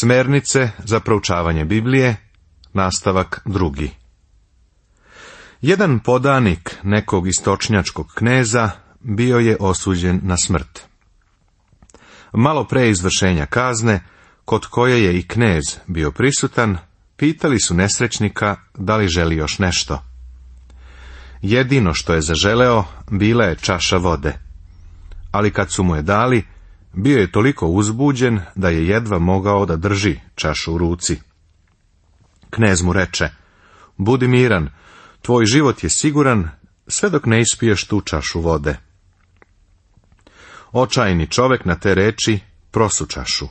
Smernice za proučavanje Biblije, nastavak 2. Jedan podanik nekog istočnjačkog kneza bio je osuđen na smrt. Malo pre izvršenja kazne, kod koje je i knez bio prisutan, pitali su nesrećnika da li želi još nešto. Jedino što je zaželeo bila je čaša vode, ali kad su mu je dali, bio je toliko uzbuđen da je jedva mogao da drži čašu u ruci. Knez mu reče: budi miran, tvoj život je siguran sve dok ne ispiješ tu čašu vode. Očajni čovek na te reči prosu čašu.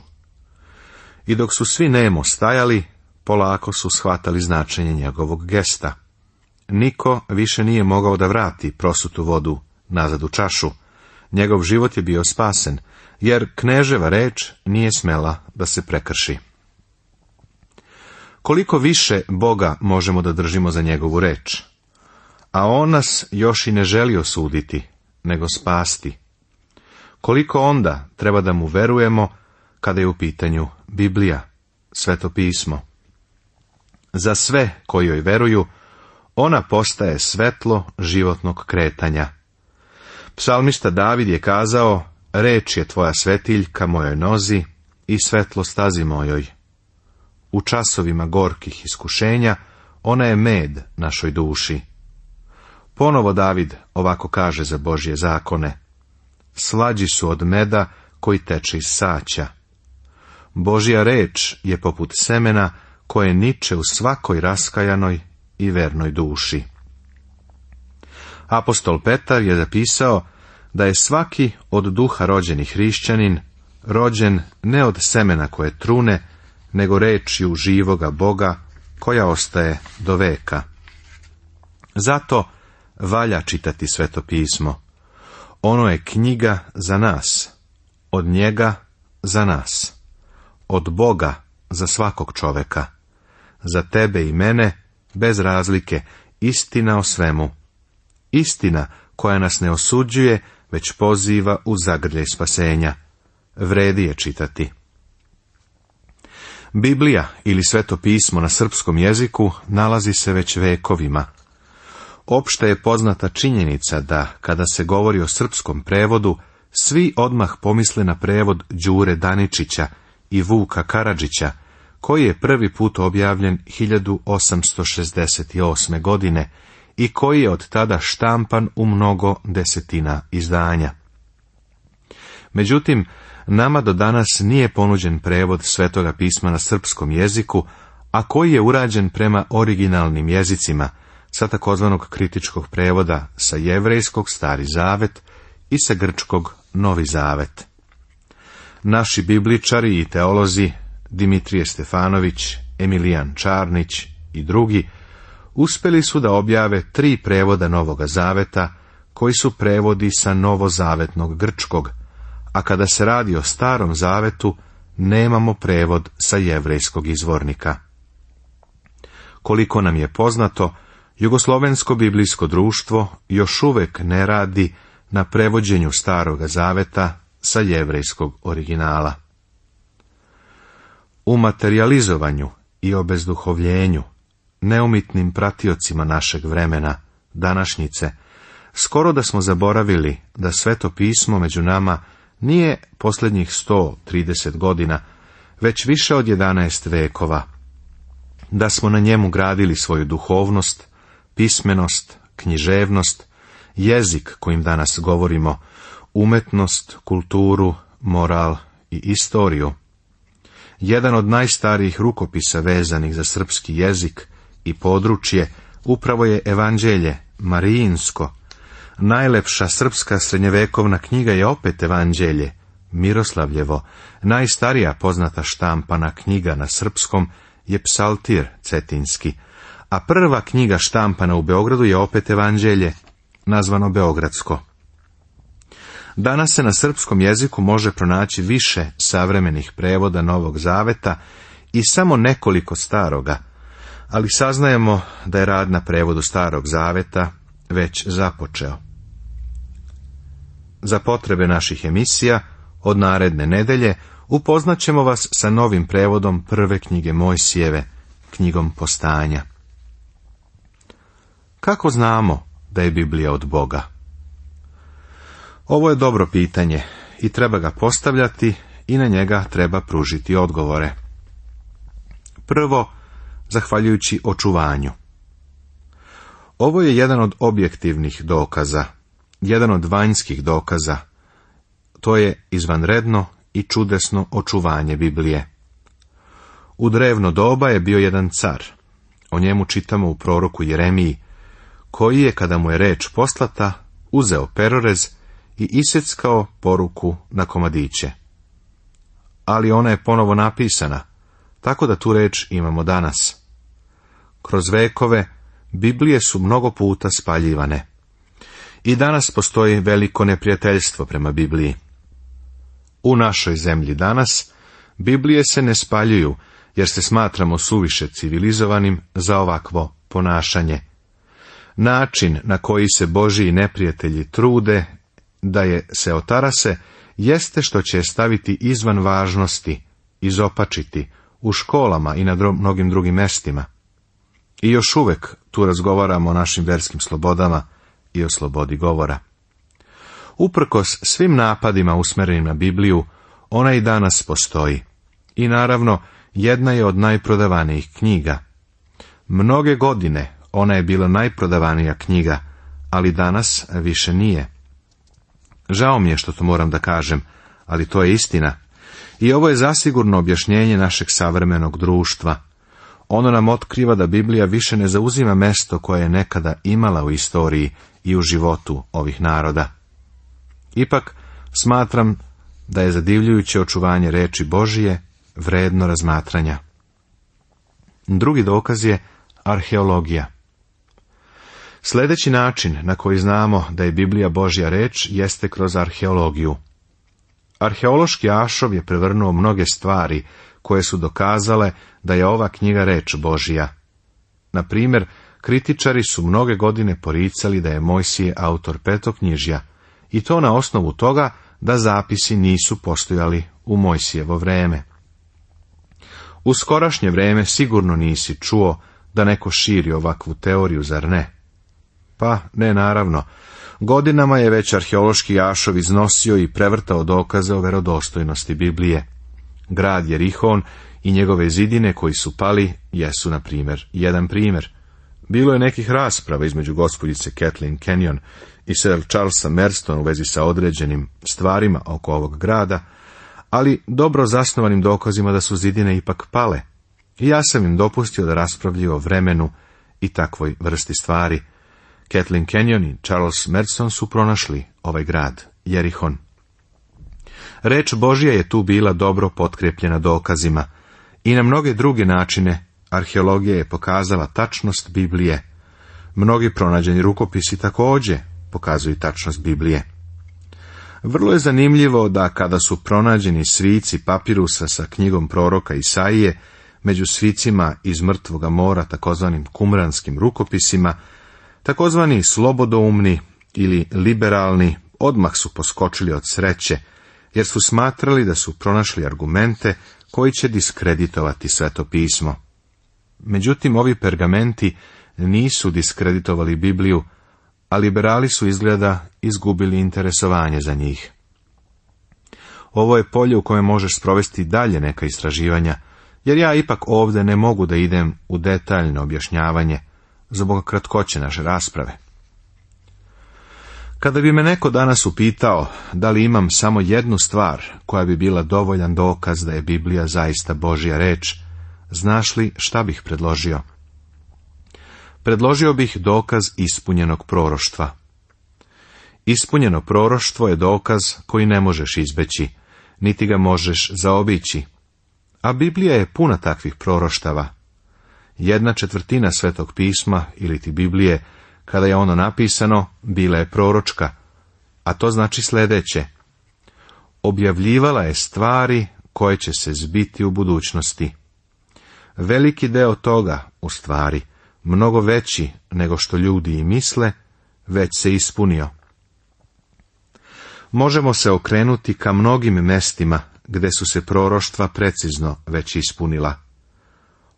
I dok su svi nemo stajali, polako su shvatali značenje njegovog gesta. Niko više nije mogao da vrati prosutu vodu nazad u čašu. Njegov život je bio spasen, jer kneževa reč nije smela da se prekrši. Koliko više Boga možemo da držimo za njegovu reč, a on nas još i ne želi osuditi, nego spasti. Koliko onda treba da mu verujemo kada je u pitanju Biblija, Sveto pismo. Za sve koji joj veruju, ona postaje svetlo životnog kretanja. Psalmista David je kazao: reč je tvoja svetiljka mojoj nozi i svetlo stazi mojoj. U časovima gorkih iskušenja ona je med našoj duši. Ponovo David ovako kaže za Božje zakone: slađi su od meda koji teče iz saća. Božja reč je poput semena koje niče u svakoj raskajanoj i vernoj duši. Apostol Petar je zapisao da je svaki od duha rođeni hrišćanin rođen ne od semena koje trune, nego rečju živoga Boga koja ostaje do veka. Zato valja čitati Sveto pismo. Ono je knjiga za nas, od njega za nas, od Boga za svakog čoveka, za tebe i mene, bez razlike, istina o svemu. Istina koja nas ne osuđuje, već poziva u zagrljaj spasenja. Vredi je čitati. Biblija ili Sveto pismo na srpskom jeziku nalazi se već vekovima. Opšte je poznata činjenica da, kada se govori o srpskom prevodu, svi odmah pomisle na prevod Đure Daničića i Vuka Karadžića, koji je prvi put objavljen 1868. godine i koji je od tada štampan u mnogo desetina izdanja. Međutim, nama do danas nije ponuđen prevod Svetoga pisma na srpskom jeziku, a koji je urađen prema originalnim jezicima, sa takozvanog kritičkog prevoda sa jevrejskog Stari zavet i sa grčkog Novi zavet. Naši bibličari i teolozi Dimitrije Stefanović, Emilijan Čarnić i drugi uspeli su da objave 3 prevoda Novoga zaveta, koji su prevodi sa novozavetnog grčkog, a kada se radi o Starom zavetu, nemamo prevod sa jevrejskog izvornika. Koliko nam je poznato, Jugoslovensko biblijsko društvo još uvek ne radi na prevođenju Staroga zaveta sa jevrejskog originala. U materijalizovanju i obezduhovljenju, neumitnim pratiocima našeg vremena, današnjice, skoro da smo zaboravili da Sveto pismo među nama nije posljednjih 130 godina, već više od 11 vekova, da smo na njemu gradili svoju duhovnost, pismenost, književnost, jezik kojim danas govorimo, umetnost, kulturu, moral i istoriju. Jedan od najstarijih rukopisa vezanih za srpski jezik i područje upravo je Evanđelje Marijinsko. Najlepša srpska srednjevekovna knjiga je opet Evanđelje Miroslavljevo. Najstarija poznata štampana knjiga na srpskom je Psaltir cetinski, a prva knjiga štampana u Beogradu je opet Evanđelje, nazvano Beogradsko. Danas se na srpskom jeziku može pronaći više savremenih prevoda Novog zaveta i samo nekoliko staroga, ali saznajemo da je rad na prevodu Starog zaveta već započeo. Za potrebe naših emisija, od naredne nedelje Upoznaćemo vas sa novim prevodom prve knjige Mojsijeve, knjigom Postanja. Kako znamo da je Biblija od Boga? Ovo je dobro pitanje i treba ga postavljati i na njega treba pružiti odgovore. Prvo, zahvaljujući očuvanju. Ovo je jedan od objektivnih dokaza, jedan od vanjskih dokaza. To je izvanredno i čudesno očuvanje Biblije. U drevno doba je bio jedan car. O njemu čitamo u proroku Jeremiji, koji je, kada mu je reč poslata, uzeo perorez i iseckao poruku na komadiće. Ali ona je ponovo napisana, tako da tu reč imamo danas. Kroz vekove Biblije su mnogo puta spaljivane. I danas postoji veliko neprijateljstvo prema Bibliji. U našoj zemlji danas Biblije se ne spaljuju, jer se smatramo suviše civilizovanim za ovakvo ponašanje. Način na koji se Božji neprijatelji trude da je se otarase, jeste što će je staviti izvan važnosti, izopačiti, u školama i na mnogim drugim mestima. I još uvek tu razgovaramo o našim verskim slobodama i o slobodi govora. Uprkos svim napadima usmerenim na Bibliju, ona i danas postoji. I naravno, jedna je od najprodavanijih knjiga. Mnoge godine ona je bila najprodavanija knjiga, ali danas više nije. Žao mi je što to moram da kažem, ali to je istina. I ovo je zasigurno objašnjenje našeg savremenog društva. Ono nam otkriva da Biblija više ne zauzima mesto koje je nekada imala u istoriji i u životu ovih naroda. Ipak, smatram da je zadivljujuće očuvanje reči Božije vredno razmatranja. Drugi dokaz je arheologija. Sljedeći način na koji znamo da je Biblija Božja reč jeste kroz arheologiju. Arheološki ašov je prevrnuo mnoge stvari koje su dokazale da je ova knjiga reč Božja. Na primjer, kritičari su mnoge godine poricali da je Mojsije autor petoknjižja, i to na osnovu toga da zapisi nisu postojali u Mojsijevo vreme. U skorašnje vreme sigurno nisi čuo da neko širi ovakvu teoriju, zar ne? Pa, ne, naravno. Godinama je već arheološki ašov iznosio i prevrtao dokaze o verodostojnosti Biblije. Grad Jerihon i njegove zidine koji su pali jesu, na primjer, jedan primjer. Bilo je nekih rasprava između gospođice Kathleen Kenyon i Sir Charlesa Merston u vezi sa određenim stvarima oko ovog grada, ali dobro zasnovanim dokazima da su zidine ipak pale. I ja sam im dopustio da raspravljaju o vremenu i takvoj vrsti stvari. Kathleen Kenyon i Charles Merston su pronašli ovaj grad, Jerihon. Reč Božja je tu bila dobro potkrepljena dokazima i na mnoge druge načine arheologija je pokazala tačnost Biblije. Mnogi pronađeni rukopisi također pokazuju tačnost Biblije. Vrlo je zanimljivo da kada su pronađeni svici papirusa sa knjigom proroka Isaije, među svicima iz Mrtvoga mora, takozvanim kumranskim rukopisima, takozvani slobodoumni ili liberalni odmah su poskočili od sreće, jer su smatrali da su pronašli argumente koji će diskreditovati Sveto pismo. Međutim, ovi pergamenti nisu diskreditovali Bibliju, a liberali su izgleda izgubili interesovanje za njih. Ovo je polje u kojem možeš sprovesti dalje neka istraživanja, jer ja ipak ovdje ne mogu da idem u detaljno objašnjavanje zbog kratkoće naše rasprave. Kada bi me neko danas upitao da li imam samo jednu stvar koja bi bila dovoljan dokaz da je Biblija zaista Božja reč, znaš li šta bih predložio? Predložio bih dokaz ispunjenog proroštva. Ispunjeno proroštvo je dokaz koji ne možeš izbeći, niti ga možeš zaobići. A Biblija je puna takvih proroštava. 1/4 Svetog pisma ili ti Biblije, kada je ono napisano, bila je proročka, a to znači sljedeće. Objavljivala je stvari koje će se zbiti u budućnosti. Veliki deo toga, u stvari, mnogo veći nego što ljudi i misle, već se ispunio. Možemo se okrenuti ka mnogim mestima gde su se proroštva precizno već ispunila.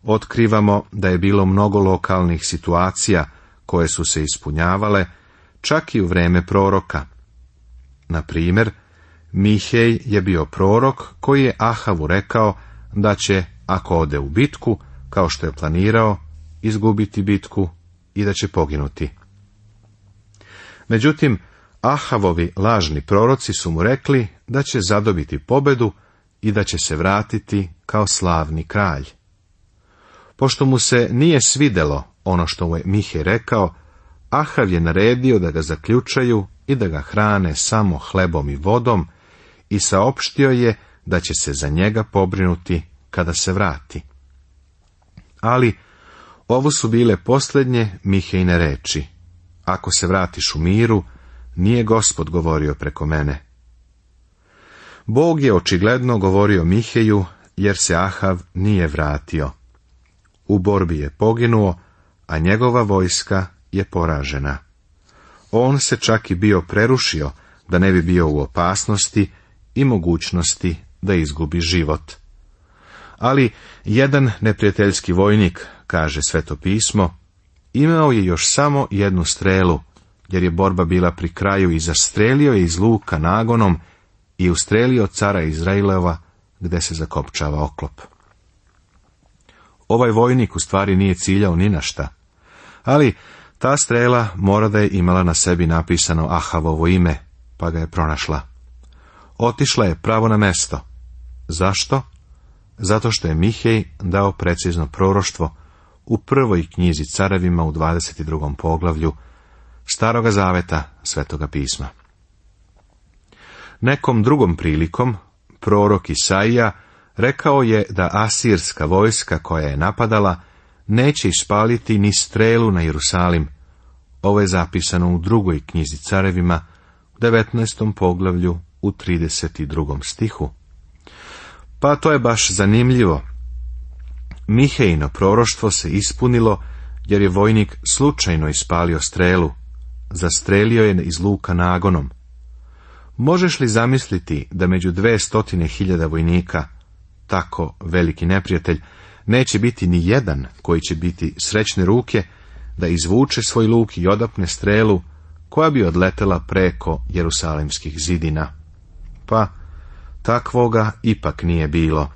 Otkrivamo da je bilo mnogo lokalnih situacija koje su se ispunjavale, čak i u vreme proroka. Na primjer, Mihej je bio prorok koji je Ahavu rekao da će, ako ode u bitku, kao što je planirao, izgubiti bitku i da će poginuti. Međutim, Ahavovi lažni proroci su mu rekli da će zadobiti pobedu i da će se vratiti kao slavni kralj. Pošto mu se nije svidelo ono što mu je Mihej rekao, Ahav je naredio da ga zaključaju i da ga hrane samo hlebom i vodom i saopštio je da će se za njega pobrinuti kada se vrati. Ali ovo su bile posljednje Mihejine reči: ako se vratiš u miru, nije Gospod govorio preko mene. Bog je očigledno govorio Miheju, jer se Ahav nije vratio. U borbi je poginuo, a njegova vojska je poražena. On se čak i bio prerušio da ne bi bio u opasnosti i mogućnosti da izgubi život. Ali jedan neprijateljski vojnik, kaže Sveto pismo, imao je još samo jednu strelu, jer je borba bila pri kraju i zastrelio je iz luka nagonom i ustrelio cara Izrailova gde se zakopčava oklop. Ovaj vojnik u stvari nije ciljao ni na šta, ali ta strela mora da je imala na sebi napisano Ahavovo ime, pa ga je pronašla. Otišla je pravo na mesto. Zašto? Zato što je Mihej dao precizno proroštvo u prvoj knjizi Carevima u 22. poglavlju Staroga zaveta Svetoga pisma. Nekom drugom prilikom prorok Isaija rekao je da asirska vojska koja je napadala neće ispaliti ni strelu na Jerusalim. Ovo je zapisano u drugoj knjizi Carevima u 19. poglavlju u 32. stihu. Pa to je baš zanimljivo. Mihejino proroštvo se ispunilo jer je vojnik slučajno ispalio strelu. Zastrelio je iz luka nagonom. Možeš li zamisliti da među 200.000 vojnika, tako veliki neprijatelj, neće biti ni jedan koji će biti srećne ruke da izvuče svoj luk i odapne strelu koja bi odletela preko jerusalimskih zidina? Pa, takvoga ipak nije bilo.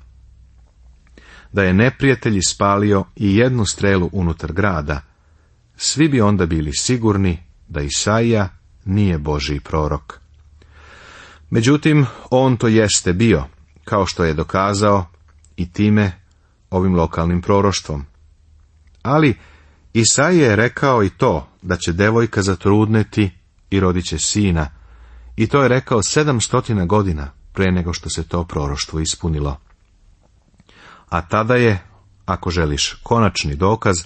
Da je neprijatelj ispalio i jednu strelu unutar grada, svi bi onda bili sigurni da Isaija nije Božji prorok. Međutim, on to jeste bio, kao što je dokazao i time ovim lokalnim proroštvom. Ali Isaija je rekao i to da će devojka zatrudneti i rodit će sina, i to je rekao 700 godina pre nego što se to proroštvo ispunilo. A tada je, ako želiš konačni dokaz,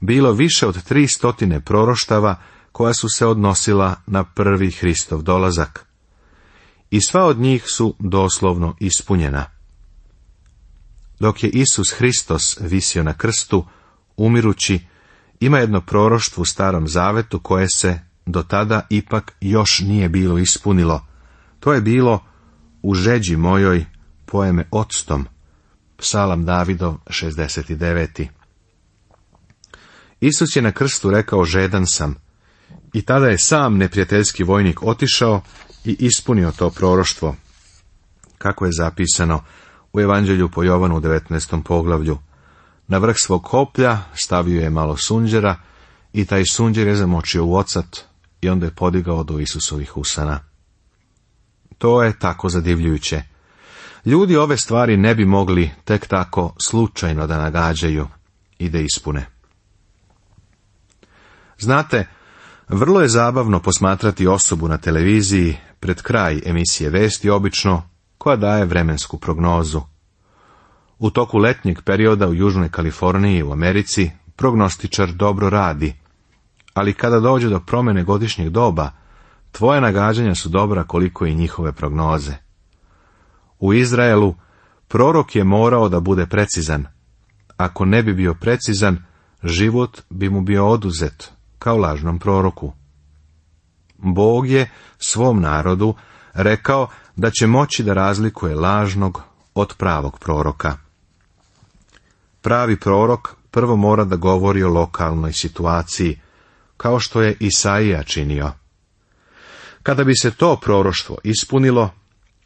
bilo više od 300 proroštava koja su se odnosila na prvi Hristov dolazak. I sva od njih su doslovno ispunjena. Dok je Isus Hristos visio na krstu, umirući, ima jedno proroštvo u Starom zavetu koje se do tada ipak još nije bilo ispunilo. To je bilo: u žeđi mojoj poje me octom. Psalam Davidov 69. Isus je na krstu rekao: žedan sam. I tada je sam neprijateljski vojnik otišao i ispunio to proroštvo. Kako je zapisano u Evanđelju po Jovanu u 19. poglavlju: na vrh svog koplja stavio je malo sunđera i taj sunđer je zamočio u ocat i onda je podigao do Isusovih usana. To je tako zadivljujuće. Ljudi ove stvari ne bi mogli tek tako slučajno da nagađaju i da ispune. Znate, vrlo je zabavno posmatrati osobu na televiziji pred kraj emisije vesti obično, koja daje vremensku prognozu. U toku letnjeg perioda u Južnoj Kaliforniji u Americi prognostičar dobro radi, ali kada dođe do promjene godišnjeg doba, tvoja nagađanja su dobra koliko i njihove prognoze. U Izraelu prorok je morao da bude precizan. Ako ne bi bio precizan, život bi mu bio oduzet, kao lažnom proroku. Bog je svom narodu rekao da će moći da razlikuje lažnog od pravog proroka. Pravi prorok prvo mora da govori o lokalnoj situaciji, kao što je Isaija činio. Kada bi se to proroštvo ispunilo,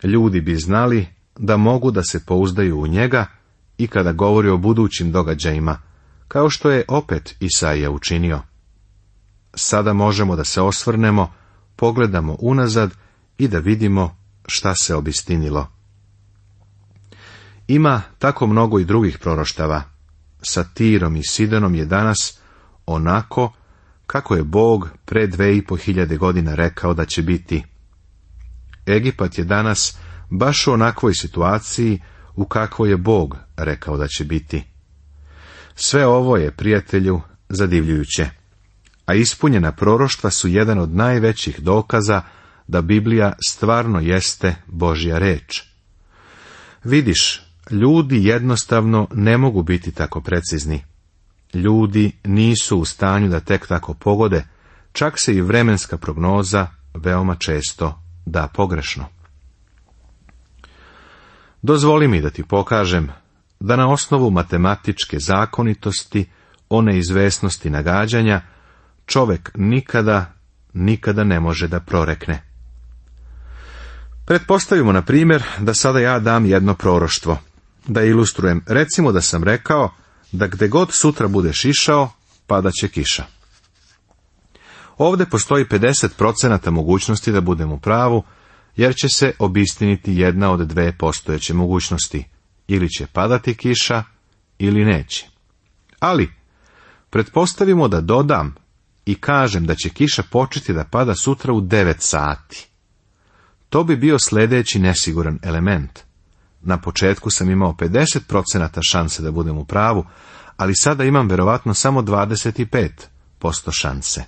ljudi bi znali da mogu da se pouzdaju u njega i kada govori o budućim događajima, kao što je opet Isaija učinio. Sada možemo da se osvrnemo, pogledamo unazad i da vidimo šta se obistinilo. Ima tako mnogo i drugih proroštava. Sa Tirom i Sidonom je danas onako kako je Bog pre 2500 godina rekao da će biti. Egipat je danas baš u onakvoj situaciji u kakvoj je Bog rekao da će biti. Sve ovo je, prijatelju, zadivljujuće, a ispunjena proroštva su jedan od najvećih dokaza da Biblija stvarno jeste Božja reč. Vidiš, ljudi jednostavno ne mogu biti tako precizni. Ljudi nisu u stanju da tek tako pogode, čak se i vremenska prognoza veoma često da pogrešno. Dozvoli mi da ti pokažem da na osnovu matematičke zakonitosti o neizvesnosti nagađanja čovek nikada ne može da prorekne. Pretpostavimo, na primjer, da sada ja dam jedno proroštvo. Da ilustrujem, recimo da sam rekao da gde god sutra budeš išao, padat će kiša. Ovde postoji 50% mogućnosti da budem u pravu, jer će se obistiniti jedna od dve postojeće mogućnosti. Ili će padati kiša, ili neće. Ali, pretpostavimo da dodam i kažem da će kiša početi da pada sutra u 9 sati. To bi bio sljedeći nesiguran element. Na početku sam imao 50% šanse da budem u pravu, ali sada imam verovatno samo 25% šanse.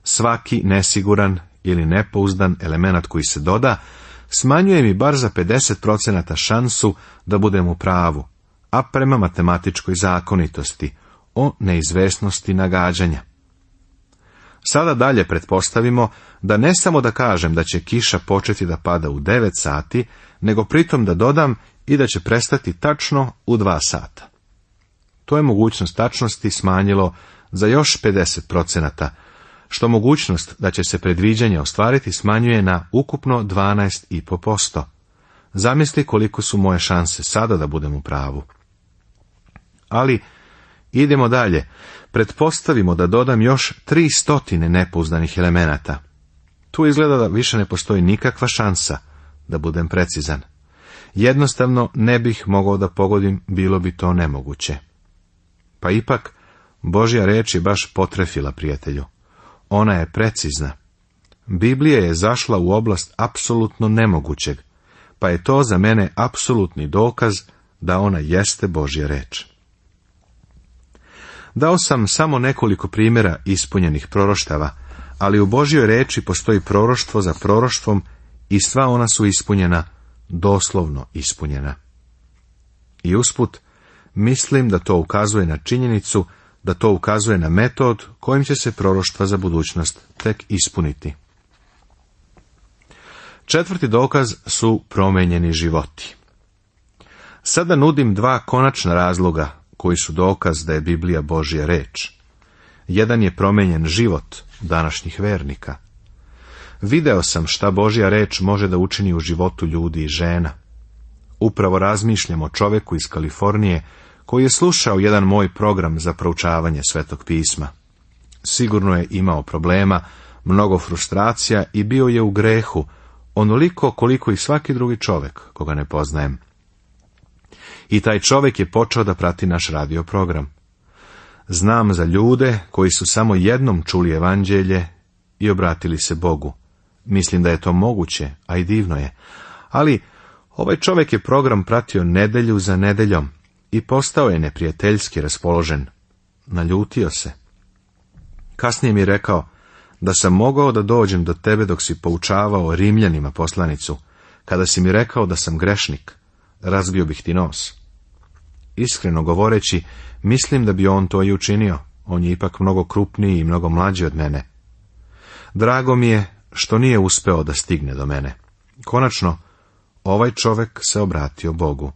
Svaki nesiguran ili nepouzdan element koji se doda, smanjuje mi bar za 50% šansu da budem u pravu, a prema matematičkoj zakonitosti o neizvesnosti nagađanja. Sada dalje pretpostavimo da ne samo da kažem da će kiša početi da pada u 9 sati, nego pritom da dodam i da će prestati tačno u 2 sata. To je mogućnost tačnosti smanjilo za još 50%, što mogućnost da će se predviđanje ostvariti smanjuje na ukupno 12,5%. Zamisli koliko su moje šanse sada da budem u pravu. Ali, idemo dalje. Pretpostavimo da dodam još 300 nepouzdanih elemenata. Tu izgleda da više ne postoji nikakva šansa da budem precizan. Jednostavno ne bih mogao da pogodim, bilo bi to nemoguće. Pa ipak, Božja reč je baš potrefila, prijatelju. Ona je precizna. Biblija je zašla u oblast apsolutno nemogućeg, pa je to za mene apsolutni dokaz da ona jeste Božja reč. Dao sam samo nekoliko primjera ispunjenih proroštava, ali u Božjoj reči postoji proroštvo za proroštvom i sva ona su ispunjena, doslovno ispunjena. I usput, mislim da to ukazuje na činjenicu, da to ukazuje na metod kojim će se proroštva za budućnost tek ispuniti. Četvrti dokaz su promenjeni životi. Sada nudim 2 konačna razloga koji su dokaz da je Biblija Božja reč. Jedan je promenjen život današnjih vernika. Video sam šta Božja reč može da učini u životu ljudi i žena. Upravo razmišljam o čoveku iz Kalifornije koji je slušao jedan moj program za proučavanje Svetog pisma. Sigurno je imao problema, mnogo frustracija i bio je u grehu, onoliko koliko i svaki drugi čovek koga ne poznajem. I taj čovek je počeo da prati naš radio program. Znam za ljude koji su samo jednom čuli evanđelje i obratili se Bogu. Mislim da je to moguće, a i divno je. Ali ovaj čovek je program pratio nedelju za nedeljom i postao je neprijateljski raspoložen. Naljutio se. Kasnije mi je rekao da sam mogao da dođem do tebe dok si poučavao Rimljanima poslanicu. Kada si mi rekao da sam grešnik, razbio bih ti nos. Iskreno govoreći, mislim da bi on to i učinio. On je ipak mnogo krupniji i mnogo mlađi od mene. Drago mi je što nije uspeo da stigne do mene. Konačno, ovaj čovjek se obratio Bogu.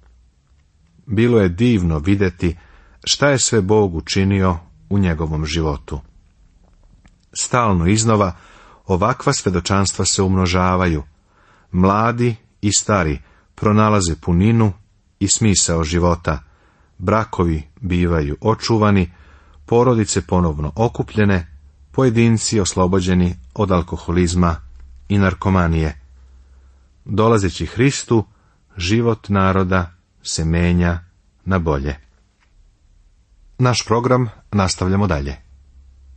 Bilo je divno vidjeti šta je sve Bog učinio u njegovom životu. Stalno iznova ovakva svjedočanstva se umnožavaju. Mladi i stari pronalaze puninu i smisao života. Brakovi bivaju očuvani, porodice ponovno okupljene, pojedinci oslobođeni od alkoholizma i narkomanije. Dolazeći Hristu, život naroda se menja na bolje. Naš program nastavljamo dalje.